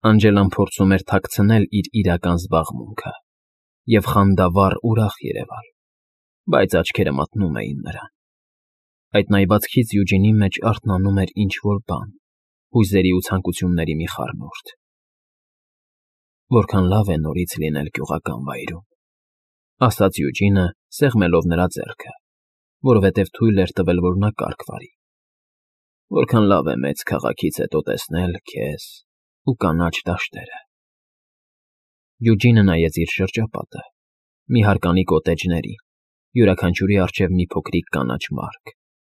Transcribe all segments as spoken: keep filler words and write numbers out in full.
Անջելան փորձում էր թաքցնել իր իրական զբաղմունքը և խանդավառ ուրախ երևալ, բայց աչքերը մատնում էին նրան. այդ նայվածքից Յուջինի մեջ արթնանում էր ինչ֊որ բան, հույզերի ու ցանկությունների մի խառնուրդ։ «Որքան լավ է նորից լինել գյուղական վայրում», ֊ ասաց Յուջինը, սեղմելով նրա ձեռքը, որովհետև թույլ էր տվել, որ նա կառք վարի։ «Որքան լավ է մեծ քաղաքից հետո տեսնել քեզ ու կանաչ դաշտերը»։ Յուջինը նայեց իր շրջապատը՝ մի հարկանի կոտեջների, յուրաքանչյուրի առջև մի փոքրիկ կանաչ մարք,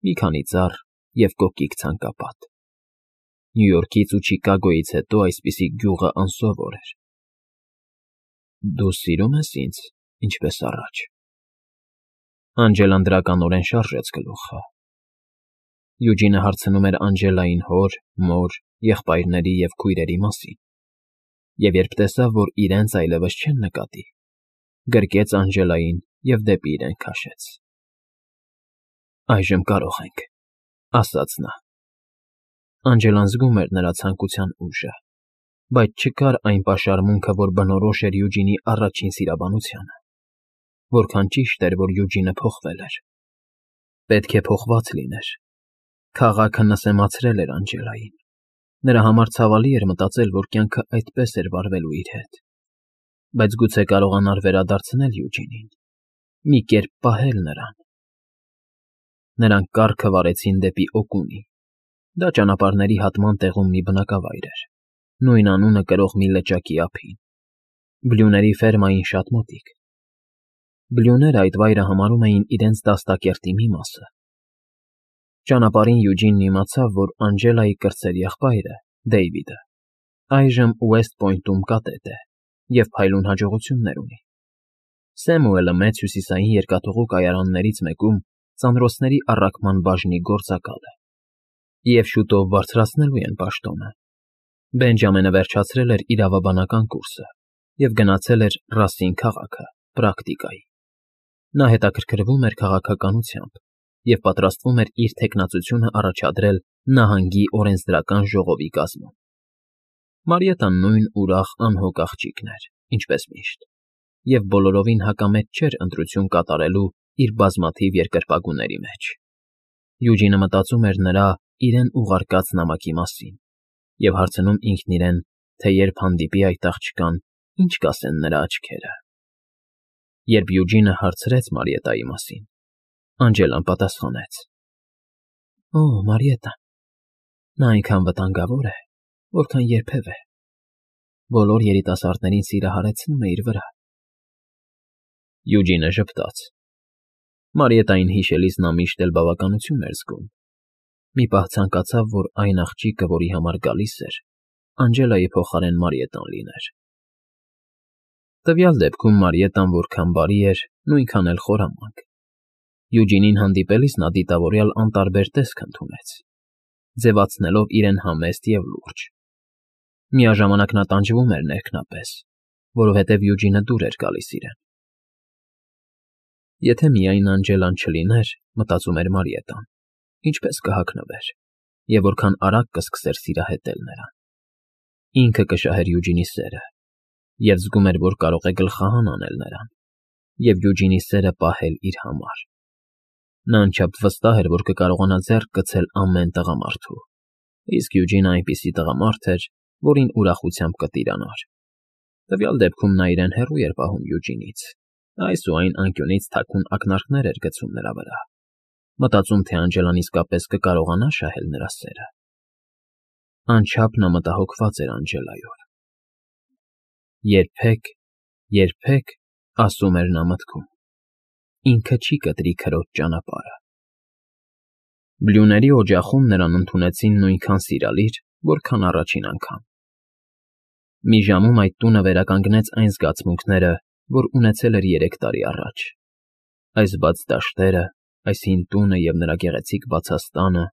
մի քանի ծառ և կոկիկ ցանկապատ։ Նյու Յորքից ու Չիկագոյից հետո այսպիսի գյուղը անսովոր էր։ «Դու սիրո՞ւմ ես ինձ, ինչպես առաջ»։ Անջելան դրականորեն շարժեց գլուխը։ Յուջինը հարցնում էր Անջելային հոր, մոր, եղբայրների և քույրերի մասին, և երբ տեսավ, որ իրենց այլևս չեն նկատի, գրկեց Անջելային և դեպի իրեն քաշեց։ «Այժմ կարող ենք», ֊ ասաց նա։ Անջելան զգում էր նրա ցանկության ուժը, բայց չկար այն պաշարմունքը, որ բնորոշ էր Յուջինի առաջին սիրաբանությանը։ Որքան ճիշտ էր, որ Յուջինը փոխվել էր։ Պետք է փոխված լիներ։ Քաղաքը նսեմացրել էր Անջելային։ Նրա համար ցավալի էր մտածել, որ կյանքը այդպես էր վարվելու իր հետ։ Բայց գուցե կարողանար վերադարձնել Յուջինին, մի կերպ պահել նրան։ Նրանք կառքը վարեցին դեպի Օկունի։ Դա ճանապարհների հատման տեղում մի բնակավայր էր, նույն անունը կրող մի լճակի ափին։ Բլյուների ֆերմային շատ մոտիկ։ Բլյուները այդ վայրը համարում էին իրենց դաստակերտի մի մասը։ Ճանապարհին Յուջինն իմացավ, որ Անջելայի կրտսեր եղբայրը՝ Դեյվիդը, այժմ Ուեսթ Պոյնտում կատետ է և փայլուն հաջողություններ ունի։ Սեմուելը մեծ հյուսիսային երկաթուղու կայարաններից մեկում ծանրոցների առաքման բաժնի գործակալ է, և շուտով բարձրացնելու են պաշտոնը։ Բենջամինը վերջացրել էր իրավաբանական կուրսը և գնացել էր Ռասին քաղաքը պրակտիկայի։ Նա հետաքրքրվում էր քաղաքականությամբ և պատրաստվում էր իր թեկնածությունը առաջադրել նահանգի օրենսդրական ժողովի կազմում։ Մարիետան նույն ուրախ անհոգ աղջիկն էր, ինչպես միշտ, և բոլորովին հակամետ չէր ընտրություն կատարելու իր բազմաթիվ երկրպագուների մեջ։ Յուջինը մտածում էր նրա իրեն ուղարկած նամակի մասին և հարցնում ինքն իրեն, թե երբ հանդիպի այդ աղջկան, ինչ կասեն նրա աչքերը։ Երբ Յուջինը հարցրեց Մարիետայի մասին, Անջելան պատասխանեց. «Օ, Մարիետան, նա այնքան վտանգավոր է, որքան երբևէ։ Բոլոր երիտասարդներին սիրահարեցնում է իր վրա»։ Յուջինը ժպտաց։ Մարիետային հիշելիս նա միշտ էլ բավականություն էր զգում։ Մի պահ ցանկացավ, որ այն աղջիկը, որի համար գալիս էր, Անջելայի փոխարեն Մարիետան լիներ։ Տվյալ դեպքում Մարիետան որքան բարի էր, նույնքան էլ խորամանկ։ Յուջինին հանդիպելիս նա դիտավորյալ անտարբեր տեսք ընդունեց, ձևացնելով իրեն համեստ և լուրջ։ Միաժամանակ նա տանջվում էր ներքնապես, որովհետև Յուջինը դուր էր գալիս իրեն։ Եթե միայն Անջելան չլիներ, մտածում էր Մարիետան, ինչպես կհագնվեր և որքան արագ կսկսեր սիրահետել նրան։ Ինքը կշահեր Յուջինի սերը և զգում էր, որ կարող է գլխահան անել նրան և Յուջինի սերը պահել իր համար։ Նա անչափ վստահ էր, որ կկարողանա ձեռք գցել ամեն տղամարդու, իսկ Յուջինը այնպիսի տղամարդ էր, որին ուրախությամբ կտիրանար։ Տվյալ դեպքում նա իրեն հեռու էր պահում Յուջինից, այս ու այն անկյունից թաքուն ակնարկներ էր գցում նրա վրա, մտածում, թե Անջելան իսկապես կկարողանա շահել նրա սերը։ Անչափ նա մտահոգված էր Անջելայով։ Երբեք, երբեք, ասում էր նա մտքում, ինքը չի կտրի քրոջ ճանապարհը։ Բլյուների օջախում նրան ընդունեցին նույնքան սիրալիր, որքան առաջին անգամ։ Մի ժամում այդ տունը վերականգնեց այն զգացմունքները, որ ունեցել էր երեք տարի առաջ։ Այս բաց դաշտերը, այս հին տունը և նրա գեղեցիկ բացաստանը,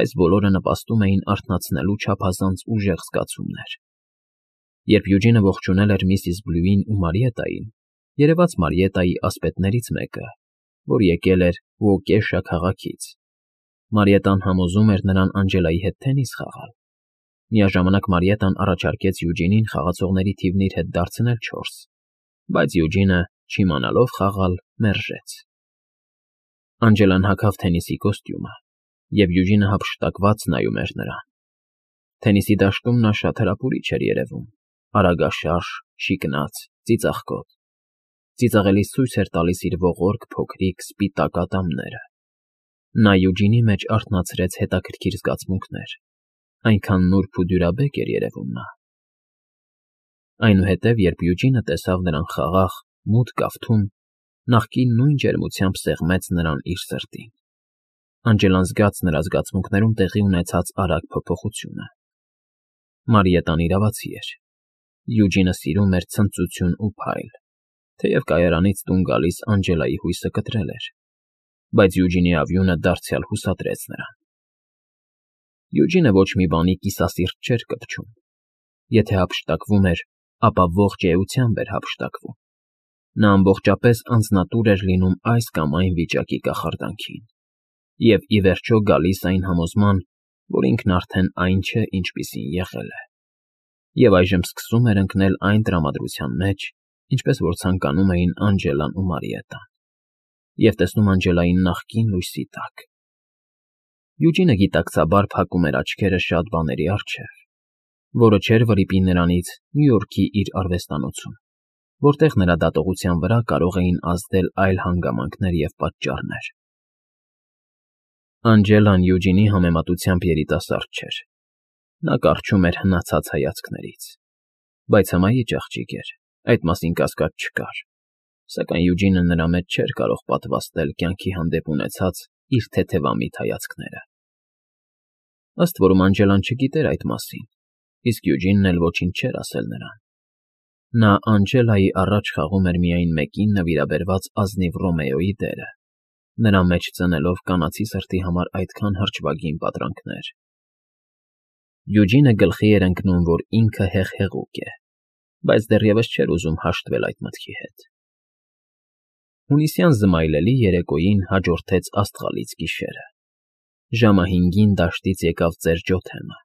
այս բոլորը նպաստում էին արթնացնելու չափազանց ուժեղ զգացումներ։ Երբ Յուջինը ողջունել էր միսիս Բլյուին ու Մարիետային, երևաց Մարիետայի ասպետներից մեկը, որ եկել էր Ուոկեշա քաղաքից, Մարիետան համոզում էր նրան Անջելայի հետ թենիս խաղալ։ Միաժամանակ Մարիետան առաջարկեց Յուջինին խաղացողների թիվն իր հետ դարձնել չորս, բայց Յուջինը, չիմանալով խաղալ, մերժեց։ Անջելան հագավ թենիսի կոստյումը, և Յուջինը հափշտակված նայում էր նրան։ Թենիսի դաշտում նա շատ հրապուրիչ էր երևում, արագաշարժ, շիկնաց, ծիծաղկոտ։ Ծիծաղելիս ցույց էր տալիս իր ողորկ, փոքրիկ, սպիտակ ատամները։ Նա Յուջինի մեջ արթնացրեց հետաքրքիր զգացմունքներ, այնքան նուրբ ու դյուրաբեկ էր երևում նա։ Այնուհետև, երբ Յուջինը տեսավ նրան խաղաղ, մութ կավթում, նախկին նույն ջերմությամբ սեղմեց նրան իր սրտին։ Անջելան զգաց նրա զգացմունքներում տեղի ունեցած արագ փոփոխությունը։ Մարիետան իրավացի էր։ Յուջինը սիրում էր ցնծություն ու փայլ, թեև կայարանից տուն գալիս Անջելայի հույսը կտրել էր, բայց Յուջինի ավյունը դարձյալ հուսադրեց նրան։ Յուջինը ոչ մի բանի կիսասիրտ չէր կպչում։ Եթե հափշտակվում էր, ապա ողջ էությամբ էր հափշտակվում։ Նա ամբողջապես անձնատուր էր լինում այս կամ այն վիճակի կախարդանքին և, ի վերջո, գալիս այն համոզման, որ ինքն արդեն այն չէ, ինչպիսին եղել է, և այժմ սկսում էր ընկնել այն տրամադրության մեջ, ինչպես որ ցանկանում էին Անջելան ու Մարիետան, և տեսնում Անջելային նախկին լույսի տակ։ Յուջինը գիտակցաբար փակում էր աչքերը շատ բաների առջև, որը չէր վրիպի նրանից Նյու Յորքի իր արվեստանոցում, որտեղ նրա դատողության վրա կարող էին ազդել այլ հանգամանքներ և պատճառներ։ Անջելան Յուջինի համեմատությամբ երիտասարդ չէր։ Նա կառչում էր հնացած հայացքներից, բայց հմայիչ աղջիկ էր, այդ մասին կասկած չկար, սակայն Յուջինը նրա մեջ չէր կարող պատվաստել կյանքի հանդեպ ունեցած իր թեթևամիտ հայացքները։ Ըստ որում Անջելան չգիտեր այդ մասին, իսկ Յուջինն էլ ոչինչ չէր ասել նրան։ Նա Անջելայի առաջ խաղում էր միայն մեկին նվիրաբերված ազնիվ Ռոմեոյի դերը, նրա մեջ ծնելով կանացի սրտի համար այդքան հրճվագին պատրանքներ։ Յուջինը գլխի էր ընկնում, որ ինքը հեղհեղուկ է, բայց դեռևս չէր ուզում հաշտվել այդ մտքի հետ։ Հունիսյան զմայլելի երեկոյին հաջորդեց աստղալից գիշերը։ Ժամը հինգին դաշտից եկավ ծեր Ջոթեմը,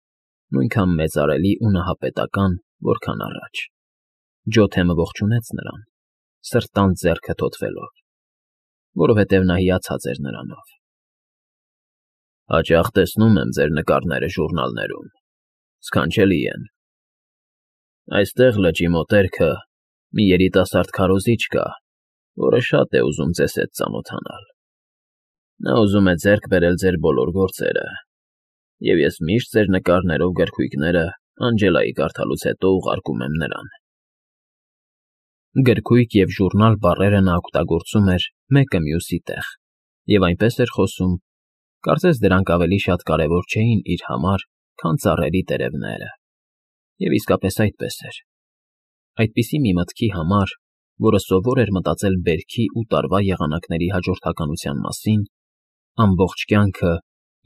նույնքան մեծարելի ու նահապետական, որքան առաջ։ Ջոթեմը ողջունեց նրան, սրտանց ձեռքը թոթվելով, որովհետև նա հիացած էր նրանով։ Հաճախ տեսնում եմ ձեր նկարները ժուրնալներում, սքանչելի են։ Այստեղ լճի մոտերքը մի երիտասարդ քարոզիչ կա, որը շատ է ուզում ձեզ հետ ծանոթանալ։ Նա ուզում է ձեռք բերել ձեր բոլոր գործերը, և ես միշտ ձեր նկարներով գրքույկները Անջելայի կարդալուց հետո ուղարկում եմ նրան։ Գրքույկ և ժուրնալ բառերը նա օգտագործում էր մեկը մյուսի տեղ և այնպես էր խոսում, կարծես դրանք ավելի շատ կարևոր չէին իր համար, քան ծառերի տերևները, և իսկապես այդպես էր։ Այդպիսի մի մտքի համար, որը սովոր էր մտածել բերքի ու տարվա եղանակների հաջորդականության մասին, ամբողջ կյանքը,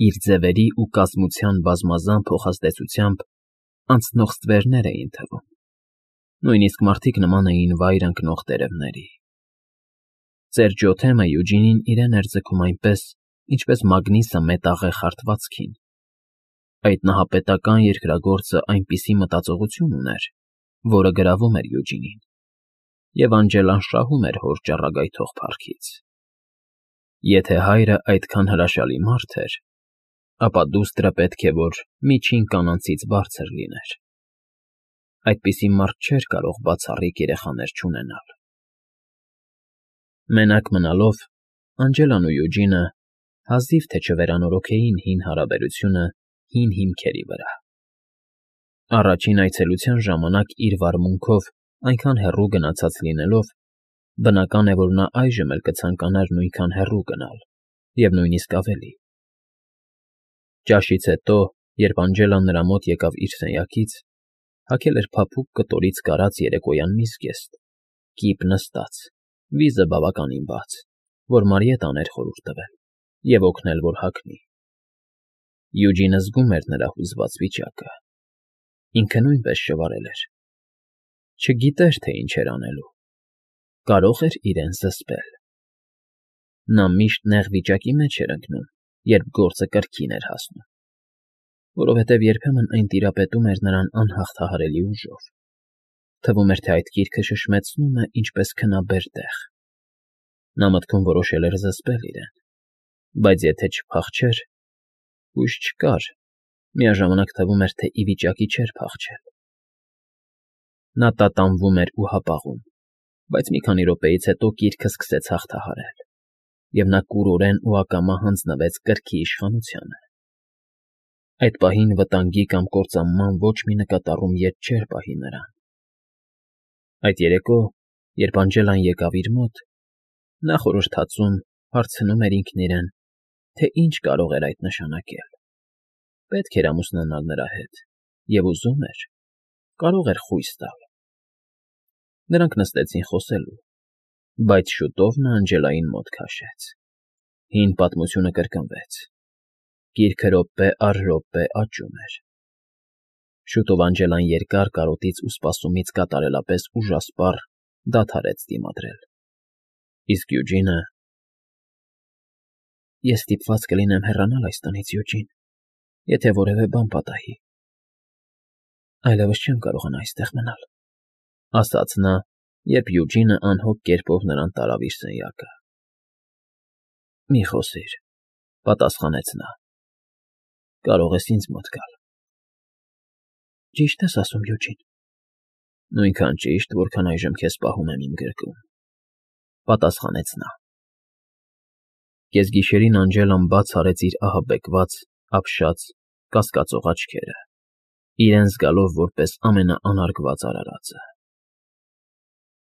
իր ձևերի ու կազմության բազմազան փոխազդեցությամբ, անցնող ստվերներ էին թվում։ Նույնիսկ մարդիկ նման էին վայր ընկնող տերևների։ Ծեր Ջոթեմը Յուջինին իրեն էր ձգում այնպես, ինչպես մագնիսը մետաղե խարթվածքին։ Այդ նահապետական երկրագործը այնպիսի մտածողություն ուներ, որը գրավում էր Յուջինին, և Անջելան շահում էր հոր ճառագայթող փառքից։ Եթե հայրը այդքան հրաշալի մարդ էր, ապա դուստրը պետք է որ միջին կանանցից բարձր լիներ։ Այդպիսի մարդ չէր կարող բացառիկ երեխաներ չունենալ։ Մենակ մնալով, Անջելան ու Յուջինը հազիվ թե չվերանորոգեին հին հարաբերությունը հին հիմքերի վրա։ Առաջին այցելության ժամանակ իր վարմունքով այնքան հեռու գնացած լինելով, բնական է, որ նա այժմ էլ կցանկանար նույնքան հեռու գնալ և նույնիսկ ավելի։ Ճաշից հետո, երբ Անջելան նրա մոտ եկավ իր սենյակից, հագել էր փափուկ կտորից կարած երեկոյան մի զգեստ, կիպ նստած, վիզը բավականին բաց, որ Մարիետան էր խորհուրդ տվել, և օգնել, որ հագնի։ Յուջինը զգում էր նրա հուզված վիճակը։ Ինքը նույնպես շվարել էր։ Չգիտեր, թե ինչ էր անելու։ Կարող էր իրեն զսպել։ Նա միշտ նեղ վիճակի մեջ էր ընկնում, երբ գործը կրքին էր հասնում։ որովհետև երբեմն այն տիրապետում էր նրան անհաղթահարելի ուժով. թվում էր, թե այդ գիրքը շշմեցնում է ինչպես քնաբեր տեղ. նա մտքում որոշել էր զսպել իրեն, բայց եթե չփախչեր, հույս չկար, միաժամանակ թվում էր, թե ի վիճակի չէր փախչել։ Նա տատանվում էր ու հապաղում, բայց մի քանի րոպեից հետո գիրքը սկսեց հաղթահարել, և նա կուրորեն ու ակամա հանձնվեց կրքի իշխանությանը։ Այդ պահին վտանգի կամ կործանման ոչ մի նկատառում ետ չէր պահի նրան։ Այդ երեկո, երբ Անջելան եկավ իր մոտ, նա խորհրդածում հարցնում էր ինքն իրեն, թե ինչ կարող էր այդ նշանակել։ Պետք էր ամուսնանալ նրա հետ, և ուզում էր, կարող էր խույս տալ։ Նրանք նստեցին խոսելու, բայց շուտով նա Անջելային մոտ քաշեց։ Հին պատմությունը կրկնվեց։ Գիրքը րոպե առ րոպե աճում էր։ Շուտով Անջելան երկար կարոտից ու սպասումից կատարելապես ուժասպառ դադարեց դիմադրել, իսկ Յուջինը… Ես ստիպված կլինեմ հեռանալ այս տնից, Յուջին, եթե որևէ բան պատահի։ Այլևս չեմ կարողանա այստեղ մնալ, ֊ ասաց նա, երբ Յուջինը անհոգ կերպով նրան տարավ իր սենյակը։ Մի խոսիր, ֊ պատասխանեց նա, կարող ես ինձ մոտ գալ։ Ճիշտ ես ասում, Յուջին։ Նույնքան ճիշտ, որքան այժմ քեզ պահում եմ իմ գրկում, ֊ պատասխանեց նա։ Կեսգիշերին Անջելան բաց արեց իր ահաբեկված, ապշած, կասկածող աչքերը, իրեն զգալով որպես ամենաանարգված արարածը։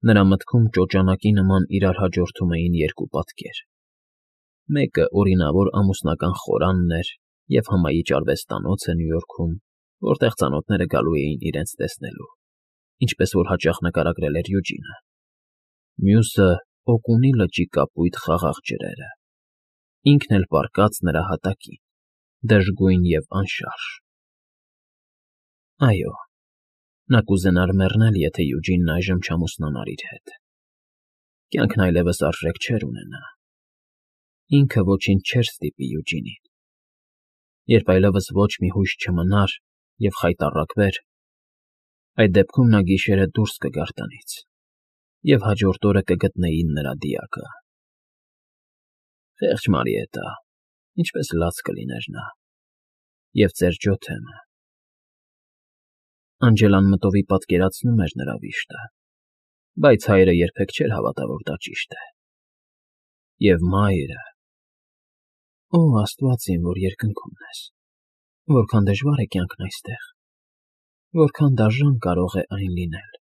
Նրա մտքում ճոճանակի նման իրար հաջորդում էին երկու պատկեր. մեկը օրինավոր ամուսնական խորանն էր և հմայիչ արվեստանոցը Նյու Յորքում, որտեղ ծանոթները գալու էին իրենց տեսնելու, ինչպես որ հաճախ նկարագրել էր Յուջինը։ Մյուսը Օկունի լճի կապույտ խաղաղ ջրերը, ինքն էլ պառկած նրա հատակին, դժգույն և անշարժ։ Այո, նա կուզենար մեռնել, եթե Յուջինն այժմ չամուսնանար իր հետ։ Կյանքն այլևս արժեք չէր ունենա։ Ինքը ոչինչ չէր ստիպի Յուջինին։ Երբ այլևս ոչ մի հույս չմնար և խայտառակվեր, այդ դեպքում նա գիշերը դուրս կգար տնից, և հաջորդ օրը կգտնեին նրա դիակը։ Խեղճ Մարիետտա, ինչպես լաց կլիներ նա, և ծեր Ջոթեմը… Անջելան մտովի պատկերացնում էր նրա վիշտը, բայց հայրը երբեք չէր հավատա, որ դա ճիշտ է։ Եվ մայրը… Օ աստված իմ, որ երկնքումն ես, որքան դժվար է կյանքն այստեղ, որքան դաժան կարող է այն լինել։